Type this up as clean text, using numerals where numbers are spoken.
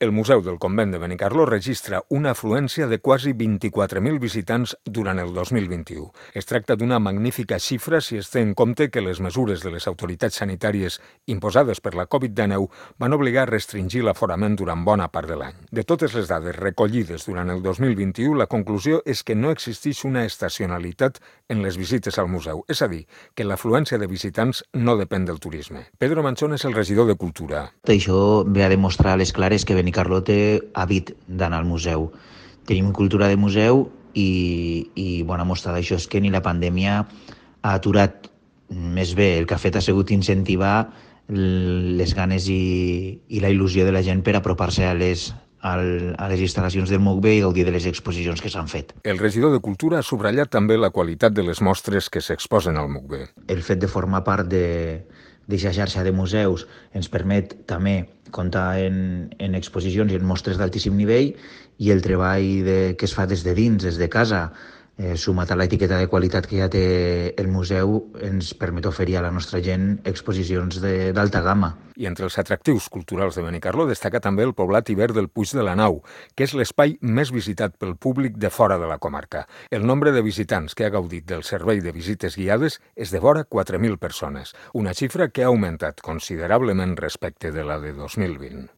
El Museu del Convent de Benicarló registra una afluència de quasi 24.000 visitants durant el 2021. Es tracta d'una magnífica xifra si es té en compte que les mesures de les autoritats sanitàries imposades per la Covid-19 van obligar a restringir l'aforament durant bona part de l'any. De totes les dades recollides durant el 2021, la conclusió és que no existeix una estacionalitat en les visites al museu, és a dir, que l'afluència de visitants no depèn del turisme. Pedro Manchón és el regidor de Cultura. Això ve a demostrar a les clares que Benicarló té hàbit d'anar al museu. Tenim cultura de museu i bona mostra d'això és que ni la pandèmia ha aturat. Més bé, el que ha fet ha sigut incentivar les ganes i la il·lusió de la gent per apropar-se a les instal·lacions del MUCBE i gaudir de les exposicions que s'han fet. El regidor de Cultura ha subratllat també la qualitat de les mostres que s'exposen al MUCBE. El fet de formar part d'aquesta xarxa de museus ens permet també comptar en exposicions i en mostres d'altíssim nivell i el treball que es fa des de dins, des de casa, sumat a l'etiqueta de qualitat que ja té el museu, ens permet oferir a la nostra gent exposicions d'alta gamma. I entre els atractius culturals de Benicarló destaca també el poblat hivern del Puig de la Nau, que és l'espai més visitat pel públic de fora de la comarca. El nombre de visitants que ha gaudit del servei de visites guiades és de vora 4.000 persones, una xifra que ha augmentat considerablement respecte de la de 2020.